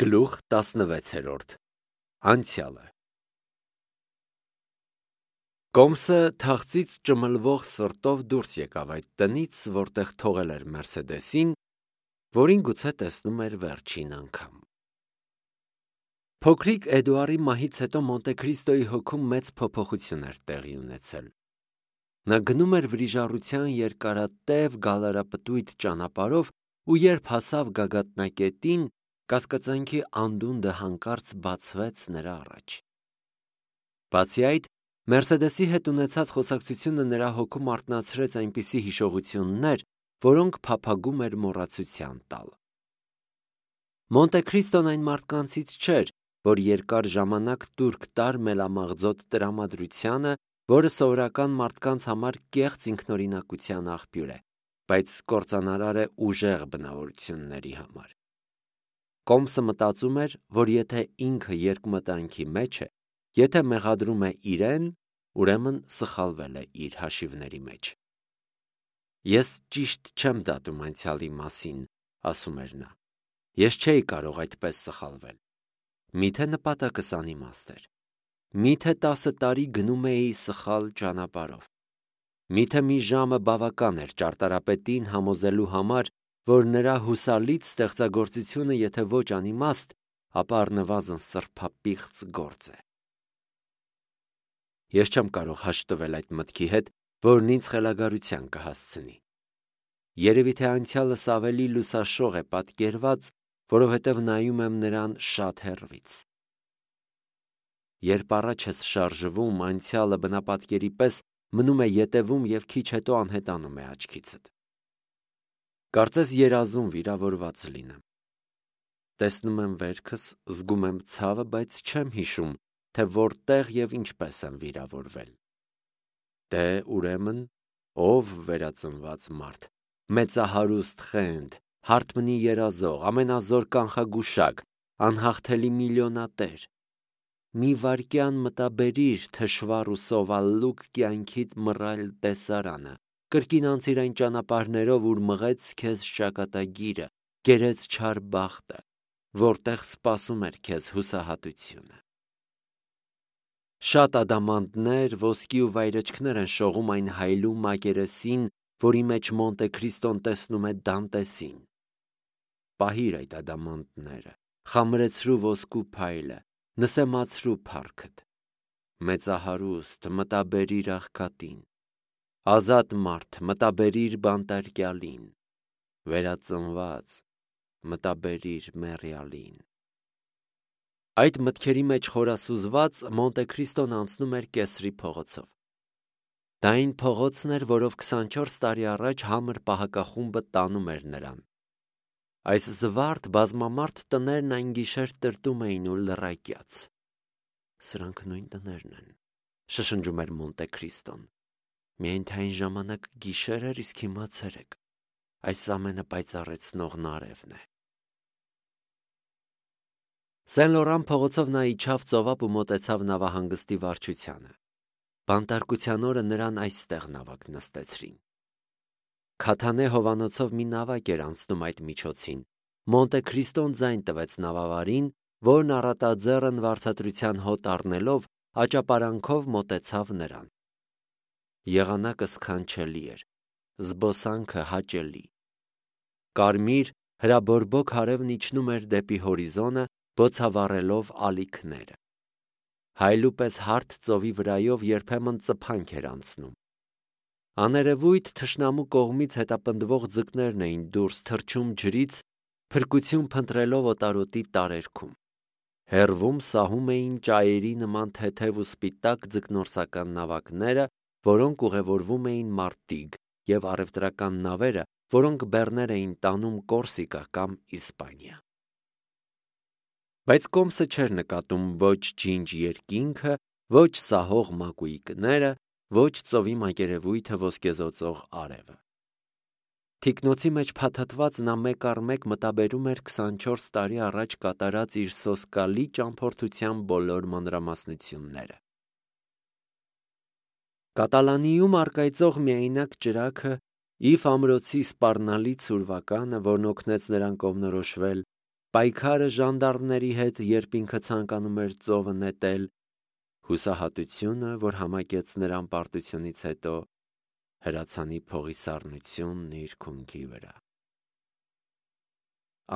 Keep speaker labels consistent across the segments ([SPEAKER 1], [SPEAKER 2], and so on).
[SPEAKER 1] Գլուխ 16 Անցյալը Կոմսը թախծից ճմլվող սրտով դուրս եկավ այդ տնից, որտեղ թողել էր Մերսեդեսին, որին գուցե տեսնում էր վերջին անգամ։ Փոքրիկ Էդուարի մահից հետո Մոնտեքրիստոյի հոգում մեծ փոփոխություն էր տեղի ունեցել։ Նա գնում էր վրիժառության երկարատև գալարապտույտ ճանապարհով ու երբ հասավ գագաթնակետին, կասկածանքի անդունդը հանկարծ բացվեց նրա առաջ։ Բացի այդ, Մերսեդեսի հետ ունեցած խոսակցությունը նրա հոգում արթնացրեց այնպիսի հիշողություններ, որոնք փափագում էր մոռացության տալ։ Մոնտեքրիստոն այն մարդկանցից չէր, որ երկար ժամանակ տուրք տար մելամաղձոտ տրամադրությանը, որը սովորական մարդկանց համար կեղծ ինքնօրինակության աղբյուր է, բայց կործանարար է ուժեղ բնավորությունների համար։ Կոմսը մտածում էր, որ եթե ինքը երկմտանքի մեջ է, եթե մեղադրում է իրեն, ուրեմն սխալվել է իր հաշիվների մեջ։ Ես ճիշտ չեմ դատում անցյալի մասին, ասում էր նա։ Ես չէի կարող այդպես սխալվել։ Միթե նպատակս անիմաստ էր։ Միթե 10 տարի գնում էի սխալ ճանապարհով։ Միթե մի ժամը բավական էր ճարտարապետին համոզելու համար, որ նրա հուսալից ստեղծագործությունը եթե ոչ անիմաստ, ապա առնվազն սրբապիղծ գործ է։ Ես չեմ կարող հաշտվել այդ մտքի հետ, որն ինձ խելագարության կհասցնի։ Երևի թե անցյալս ավելի լուսաշող է պատկերված, որովհետև նայում եմ նրան շատ հեռվից։ Երբ առաջ ես շարժվում, անցյալը բնապատկերի պես մնում է ետևում և քիչ հետո անհետանում է աչքիցդ։ Կարծես երազում վիրավորված լինեմ։ Տեսնում եմ վերքս, զգում եմ ցավը, բայց չեմ հիշում, թե որտեղ և ինչպես եմ վիրավորվել։ Դե, ուրեմն, ով վերածնված մարդ, մեծահարուստ խենթ, հարթմնի երազող, ամենազոր կանխագուշակ, անհաղթելի միլիոնատեր։ Մի վայրկյան մտաբերիր թշվառ ու սովալուկ կյանքիդ մռայլ տեսարանը, կրկին անցիր այն ճանապարհներով, ուր մղեց քեզ ճակատագիրը, կերեց չար բախտը, որտեղ սպասում էր քեզ հուսահատությունը։ Շատ ադամանդներ, ոսկի ու վայրէջքներ են շողում այն հայլու մակերեսին, որի մեջ Մոնտեքրիստոն տեսնում է Դանտեսին։ Պահիր այդ ադամանդները, խամրեցրու ոսկու փայլը, նսեմացրու փառքդ։ Մեծահարուստ, մտաբերիր աղքատին։ Ազատ մարդ, մտաբերիր բանտարկյալին։ Վերածնված, մտաբերիր մեռյալին։ Այդ մտքերի մեջ խորասուզված Մոնտեքրիստոն անցնում էր Կեսրի փողոցով։ Դա այն փողոցն էր, որով 24 տարի առաջ համր պահակախումբը տանում էր նրան։ Այս զվարթ բազմամարդ տներն այն գիշեր տրտում էին ու լռակյաց։ Սրանք նույն տներն են, շշնջում էր Մոնտեքրիստոն։ Միայն թե այն ժամանակ գիշեր էր, իսկ հիմա ցերեկ։ Այս ամենը պայծառեցնողն արևն է։ Սեն-Լորան փողոցով նա իջավ ծովափ ու մոտեցավ նավահանգստի վարչությանը։ Բանտարկության օրը նրան այստեղ նավակ նստեցրին։ Քաթանե հովանոցով մի նավակ էր անցնում այդ միջոցին։ Մոնտեքրիստոն ձայն տվեց նավավարին, որն առատաձեռն վարձատրության հոտ առնելով աճապարանքով մոտեցավ նրան։ Եղանակը սքանչելի էր, զբոսանքը հաճելի։ Կարմիր հրաբորբոք արևն իջնում էր դեպի հորիզոնը, բոցավառելով ալիքները։ Հայլու պես հարթ ծովի վրայով երբեմն ծփանք էր անցնում։ Աներևույթ թշնամու կողմից հետապնդվող ձկներն էին դուրս թռչում ջրից, փրկություն փնտրելով օտարոտի տարերքում։ Հեռվում սահում էին ճայերի նման թեթև ու սպիտակ ձկնորսական նավակները, որոնք ուղևորվում էին Մարտիգ, և առևտրական նավերը, որոնք բեռներ էին տանում Կորսիկա կամ Իսպանիա։ Բայց Կոմսը չէր նկատում ոչ ջինջ երկինքը, ոչ սահող մակույկները, ոչ ծովի մակերևույթը ոսկեզօծող արևը։ Թիկնոցի մեջ փաթաթված նա մեկ առ մեկ մտաբերում էր 24 տարի առաջ կատարած իր սոսկալի ճամփորդության բոլոր մանրամասնությունները։ Կատալանիում առկայծող միայնակ ճրագը, Իվ ամրոցի սպառնալի ցուրվականը, որն օգնեց նրան կողմնորոշվել, պայքարը ժանդարմների հետ, երբ ինքը ցանկանում էր ծովը նետել, հուսահատությունը, որ համակեց նրան պարտությունից հետո, հրացանի փողի սառնությունն իր քունքի վրա։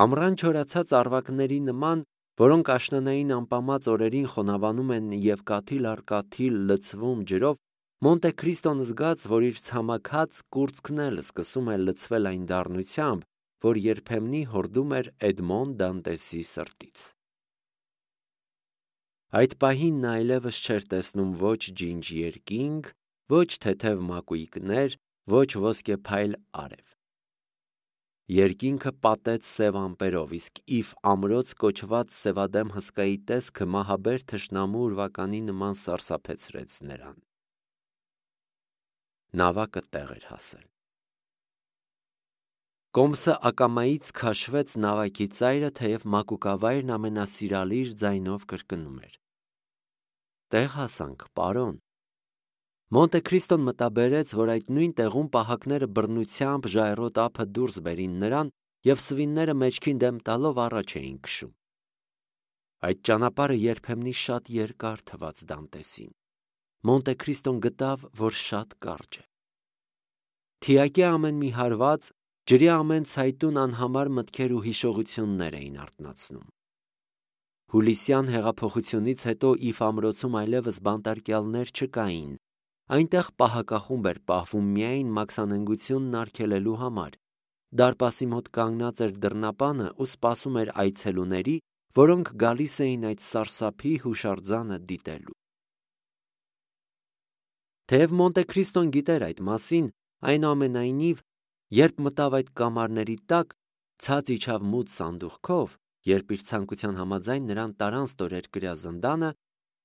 [SPEAKER 1] Ամռան չորացած առվակների նման, որոնք աշնանային անպամած օրերին խոնավանում են և կաթիլ առ կաթիլ լցվում ջրով, Մոնտե Քրիստոն զգաց, որ իր ցամաքած կուրծքն էլ սկսում է լցվել այն դառնությամբ, որ երբեմնի հորդում էր Էդմոն Դանտեսի սրտից։ Այդ պահին նա այլևս չէր տեսնում ոչ ջինջ երկինք, ոչ թեթև մակույկներ, ոչ ոսկեփայլ արև։ Երկինքը պատեց սև ամպերով, իսկ Իվ ամրոց կոչված սևադեմ հսկայի տեսքը մահաբեր թշնամու ուրվականի նման սարսափեցրեց նրան։ Նավակը տեղ էր հասել։ Կոմսը ակամայից քաշվեց նավակի ծայրը, թեև մակուկավայրն ամենասիրալիր ձայնով կրկնում էր. «Տեղ հասանք, պարոն»։ Մոնտե Քրիստոն մտաբերեց, որ այդ նույն տեղում պահակները բռնությամբ ժայռոտ ափը դուրս բերին նրան և սվինները մեջքին դեմ տալով առաջ էին քշում։ Այդ ճանապարհը երբեմնի շատ երկար թվաց Դանտեսին։ Մոնտե Քրիստոն գտավ, որ շատ կարճ է։ Թիակի ամեն մի հարված, ջրի ամեն ցայտուն անհամար մտքեր ու հիշողություններ էին արթնացնում։ Հուլիսյան հեղափոխությունից հետո Իվ ամրոցում այլևս բանտարկյալներ չկային։ Այնտեղ պահակախումբ էր պահվում միայն մաքսանենգությունն արգելելու համար։ Դարպասի մոտ կանգնած էր դռնապանը ու սպասում էր այցելուների, որոնք գալիս էին այդ սարսափի հուշարձանը դիտելու։ Թեև Մոնտե Քրիստոն գիտեր այդ մասին, այնուամենայնիվ, երբ մտավ այդ կամարների տակ, ցած իջավ մութ սանդուղքով, երբ իր ցանկության համաձայն նրան տարան ստորերկրյա զնդանը,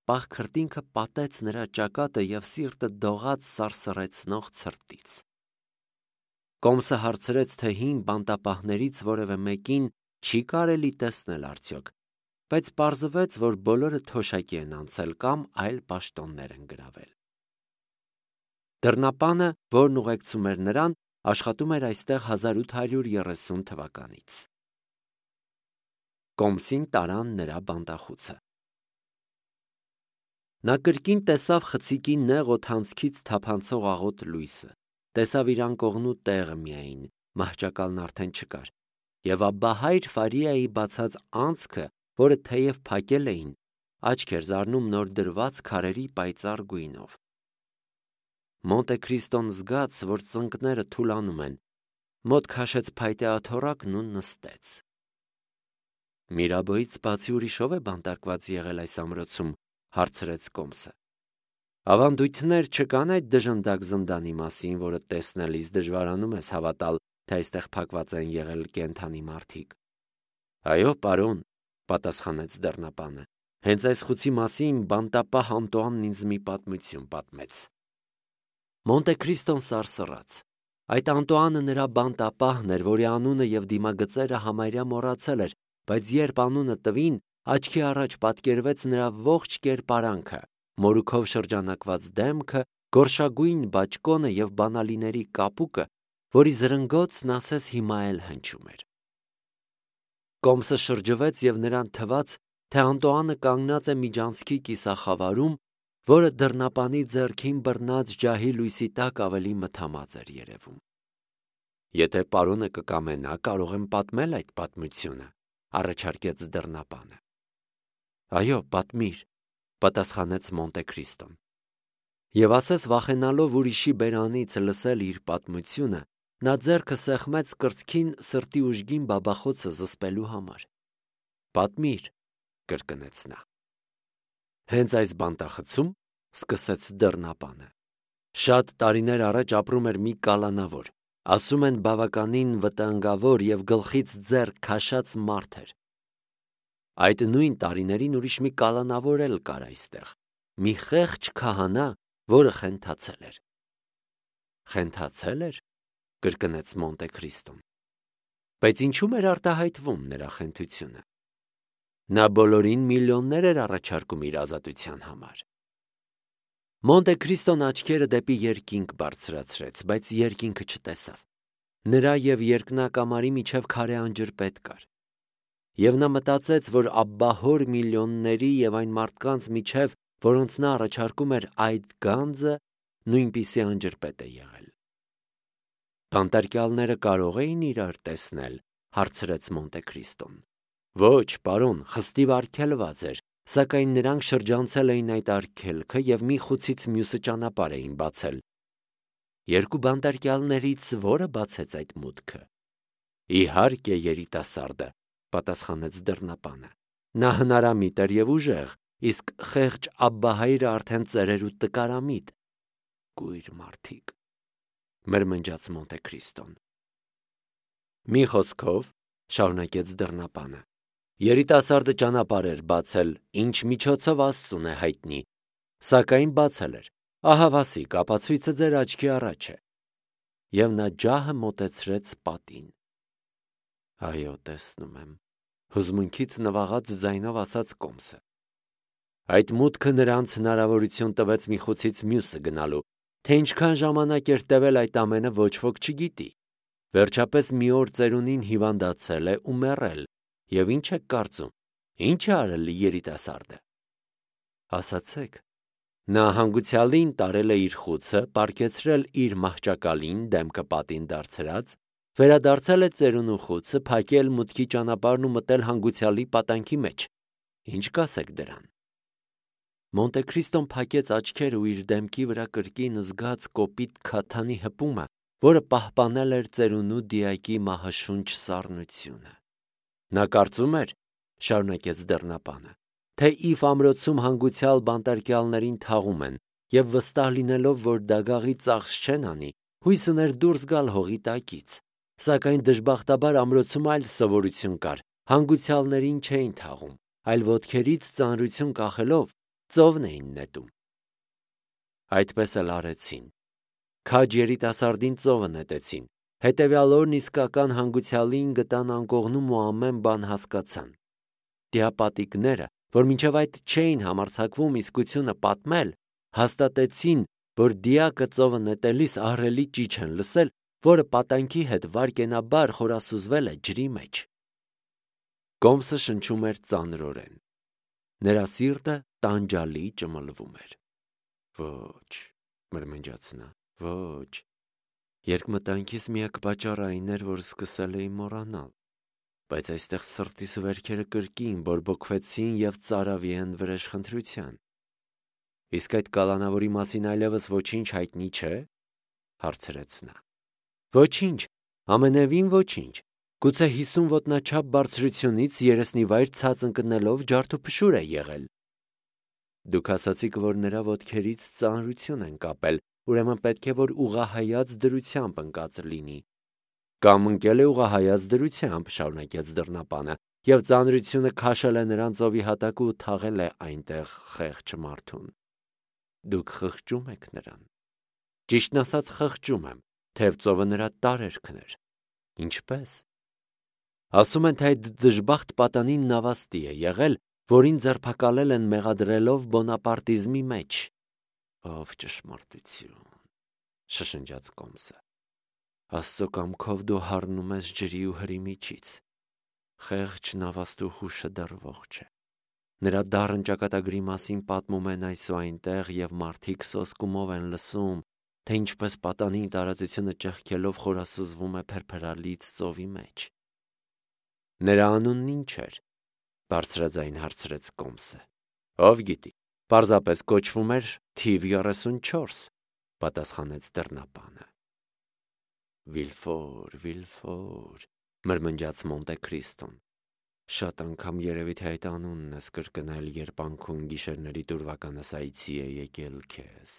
[SPEAKER 1] պաղ քրտինքը պատեց նրա ճակատը և սիրտը դողաց սարսռեցնող ցրտից։ Կոմսը հարցրեց, թե հին բանտապահներից որևէ մեկին չի կարելի տեսնել արդյոք, բայց պարզվեց, որ բոլորը թոշակի են անցել կամ այլ պաշտոններ են գրավել։ Դռնապանը, որն ուղեկցում էր նրան, աշխատում էր այստեղ 1830 թվականից։ Կոմսին տարան նրա բանտախուցը։ Նա կրկին տեսավ խցիկի նեղ օդանցքից թափանցող աղոտ լույսը, տեսավ իր անկողնու տեղը միայն, մահճակալն արդեն չկար, և Աբբահայր Ֆարիայի բացած անցքը, որը թեև փակել էին, աչք էր զարնում նոր դրված քարերի պայծառ գույնով։ Մոնտե Քրիստոն զգաց, որ ծնկները թուլանում են, մոտ քաշեց փայտե աթոռակն ու նստեց։ Միրաբոյից բացի ուրիշով է բանտարկված եղել այս ամրոցում, հարցրեց Կոմսը։ Ավանդույթներ չկան այդ դժնդակ զնդանի մասին, որը տեսնելիս դժվարանում ես հավատալ, թե այստեղ փակված են եղել կենդանի մարդիկ։ Այո, պարոն, պատասխանեց դռնապանը։ Հենց այս խուցի մասին բանտապահ Անտուանն ինձ մի պատմություն պատմեց։ Մոնտե Քրիստոն սարսռաց։ Այդ Անտուանը նրա բանտապահն էր, որի անունը և դիմագծերը համարյա մոռացել էր, բայց երբ անունը տվին, աչքի առաջ պատկերվեց նրա ողջ կերպարանքը, մորուքով շրջանակված դեմքը, գորշագույն բաճկոնը և բանալիների կապուկը, որի զրնգոցն ասես հիմա էլ հնչում էր։ Կոմսը շրջվեց և նրան թվաց, թե Անտուանը կանգնած է միջանցքի կիսախավարում, որը դռնապանի ձեռքին բռնած ջահի լույսի տակ ավելի մթամած էր երևում։ Եթե պարոնը կկամենա, կարող եմ պատմել այդ պատմությունը, առաջարկեց դռնապանը։ Այո, պատմիր, պատասխանեց Մոնտե Քրիստոն։ Եվ ասես վախենալով ուրիշի բերանից լսել իր պատմությունը, նա ձեռքը սեղմեց կրծքին սրտի ուժգին բաբախոցը զսպելու համար։ Պատմիր, կրկնեց նա։ Հենց այս բանտախցում, սկսեց դռնապանը, շատ տարիներ առաջ ապրում էր մի կալանավոր, ասում են բավականին վտանգավոր և գլխից ձեռ քաշած մարդ էր։ Այդ նույն տարիներին ուրիշ մի կալանավոր էլ կար այստեղ, մի խեղճ քահանա, որը խենթացել էր։ Խենթացել էր, կրկնեց Մոնտե Քրիստոն։ Բայց ինչու՞մ էր արտահայտվում նրա խենթությունը։ Նա բոլորին միլիոններ էր առաջարկում իր ազատության համար։ Մոնտե Քրիստոն աչքերը դեպի երկինք բարձրացրեց, բայց երկինքը չտեսավ։ Նրա և երկնակամարի միջև քարե անջրպետ կար։ Եվ նա մտածեց, որ աբբահոր միլիոնների եւ այն մարդկանց միջև, որոնց նա առաջարկում էր այդ գանձը, նույնպիսի անջրպետ է եղել։ Բանտարկյալները կարող էին իրար տեսնել, հարցրեց Մոնտե Քրիստոն։ Ոչ, պարոն, խստիվ արգելված էր, սակայն նրանք շրջանցել էին այդ արգելքը եւ մի խուցից մյուսը ճանապարհ էին բացել։ Երկու բանտարկյալներից որը բացեց այդ մուտքը։ Իհարկե երիտասարդը, պատասխանեց դռնապանը։ Նա հնարամիտ էր եւ ուժեղ, իսկ խեղճ աբբահայրը արդեն ծերեր ու տկարամիտ։ Կույր մարդիկ, մրմնջաց Մոնտե Քրիստոն։ Մի խոսքով, շարունակեց դռնապանը, երիտասարդը ճանապարհ էր բացել, ինչ միջոցով Աստծուն է հայտնի, սակայն բացել էր։ Ահա Վասիկ, ապացույցը ձեր աչքի առաջ է։ Եվ նա ջահը մոտեցրեց պատին։ Այո, տեսնում եմ, հուզմունքից նվաղած ձայնով ասաց Կոմսը։ Այդ մուտքը նրանց հնարավորություն տվեց մի խուցից մյուսը գնալու, թե ինչքան ժամանակ էր տևել այդ ամենը ոչ ոք չգիտի։ Վերջապես մի օր ծերունին հիվանդացել է ու մեռել, եւ ինչ եք կարծում, ինչ է արել երիտասարդը։ Ասացեք, նա հանգուցյալին տարել է իր խուցը, պառկեցրել իր մահճակալին, դեմքը պատին դարձրած, վերադարձել է ծերունու խուցը, փակել մուտքի ճանապարհն ու մտել հանգուցյալի պատանքի մեջ։ Ինչ կասեք դրան։ Մոնտե Քրիստոն փակեց աչքերը ու իր դեմքի վրա կրկին զգաց կոպիտ քաթանի հպումը, որը պահպանել էր ծերունու դիակի մահաշունչ սառնությունը։ Նա կարծում էր, շարունակեց դռնապանը, թե Իվ ամրոցում հանգուցյալ բանտարկյալներին թաղում են եւ վստահ լինելով, որ դագաղի ծախս չեն անի, հույս ուներ դուրս գալ հողի տակից, սակայն դժբախտաբար ամրոցում այլ սովորություն կար, հանգուցյալներին չէին թաղում, այլ ոտքերից ծանրություն կախելով ծովն էին նետում։ Այդպես էլ արեցին։ Քաջ երիտասարդին ծովը նետեցին, հետևյալ օրն իսկական հանգուցյալին գտան անկողնում ու ամեն բան հասկացան։ Դիապատիկները, որ մինչև այդ չէին համարձակվում իսկությունը պատմել, հաստատեցին, որ դիակը ծովը նետելիս ահռելի ճիչ են լսել, որը պատանքի հետ վարկենաբար խորասուզվել է ջրի մեջ։ Կոմսը շնչում էր ծանրորեն։ Նրա սիրտը տանջալի ճմլվում էր։ Ոչ, մրմնջաց նա, ոչ։ Երկմտանքիս միակ պատճառը այն էր, որ սկսել էի մոռանալ, բայց այստեղ սրտիս վերքերը կրկին բորբոքվեցին եւ ծարավի են վրեժխնդրության։ Իսկ այդ կալանավորի մասին այլևս ոչինչ հայտնի չէ, հարցրեց նա։ Ոչինչ, ամենևին ոչինչ։ Գուցե 50 ոտնաչափ բարձրությունից երեսնիվայր ցած ընկնելով ջարդուփշուր է եղել։ Դուք ասացիք, որ նրա ոտքերից ծանրություն են կապել, ուրեմն պետք է որ ուղղահայաց դրությամբ ընկած լինի։ Կամ ընկել է ուղղահայաց դրությամբ, շարունակեց դռնապանը, եւ ծանրությունը քաշել է նրան ծովի հատակը ու թաղել է այնտեղ խեղճ մարդուն։ Դուք խղճում եք նրան։ Ճիշտն ասած խղճում եմ, թեև ծովը նրա տարերքն էր։ Ինչպես։ Ասում են, թե այդ դժբախտ պատանին նավաստի է եղել, որին ձերբակալել են մեղադրելով բոնապարտիզմի մեջ։ Ով ճշմարտություն, շշնջաց Կոմսը։ Աստծո կամքով դու հառնում ես ջրի ու հրի միջից։ Խեղճ նավաստու հուշը դեռ ողջ է։ Նրա դառն ճակատագրի մասին պատմում են այս ու այնտեղ եւ մարդիկ սոսկումով են լսում, թե ինչպես պատանին տարածությունը ճեղքելով խորասուզվում է փրփրալից ծովի մեջ։ Նրա անունն ինչ էր, բարձրաձայն հարցրեց Կոմսը։ Ով գիտի, պարզապես կոչվում էր թիվ 34, պատասխանեց դռնապանը։ Վիլֆոր, Վիլֆոր, մրմնջաց Մոնտե Քրիստոն։ Շատ անգամ երևի թե այդ անունն ես կրկնել, երբ անքուն գիշերների տուրվականս այցի է եկել քեզ։